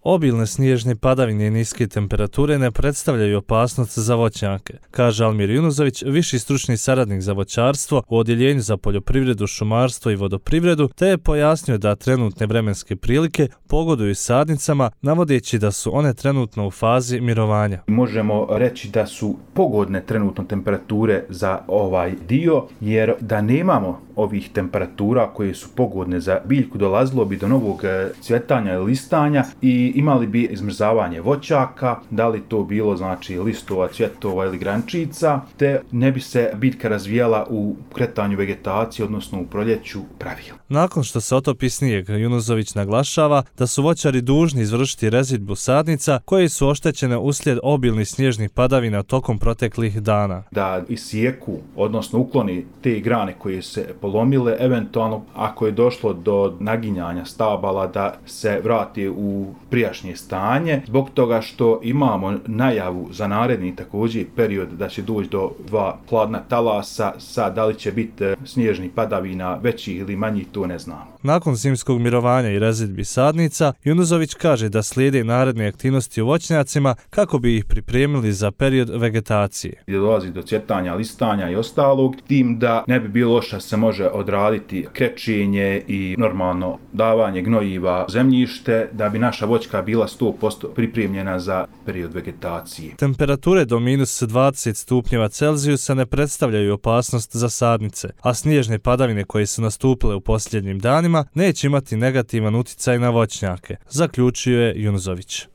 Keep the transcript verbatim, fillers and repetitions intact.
Obilne snježne padavine i niske temperature ne predstavljaju opasnost za voćnjake, kaže Almir Junuzović, viši stručni saradnik za voćarstvo u Odjeljenju za poljoprivredu, šumarstvo i vodoprivredu, te je pojasnio da trenutne vremenske prilike pogoduju sadnicama, navodeći da su one trenutno u fazi mirovanja. Možemo reći da su pogodne trenutno temperature za ovaj dio, jer da nemamo ovih temperatura koje su pogodne za biljku, dolazilo bi do novog cvjetanja i listanja i imali bi izmrzavanje voćaka, da li to bilo znači listova, cvjetova ili grančica, te ne bi se biljka razvijala u kretanju vegetacije, odnosno u proljeću pravila. Nakon što se otopi snijeg, Junuzović naglašava da su voćari dužni izvršiti rezidbu sadnica koje su oštećene uslijed obilnih snježnih padavina tokom proteklih dana. Da isijeku, odnosno ukloni te grane koje se polomile, eventualno ako je došlo do naginjanja stabala da se vrati u prijašnje stanje, zbog toga što imamo najavu za naredni također period da će doći do dva hladna talasa, sad da li će biti snježnih padavina većih ili manjih, to ne znamo. Nakon zimskog mirovanja i rezidbi sadnica, Junuzović kaže da slijede naredne aktivnosti u voćnjacima kako bi ih pripremili za period vegetacije. Gdje dolazi do cvjetanja, listanja i ostalog, tim da ne bi bilo loše se može odraditi krečenje i normalno davanje gnojiva zemljište, da bi naša voćka bila sto posto pripremljena za period vegetacije. Temperature do minus dvadeset stupnjeva Celzijusa ne predstavljaju opasnost za sadnice, a snježne padavine koje su nastupile u posljednjim danima neće imati negativan utjecaj na voćnjake, zaključio je Junuzović.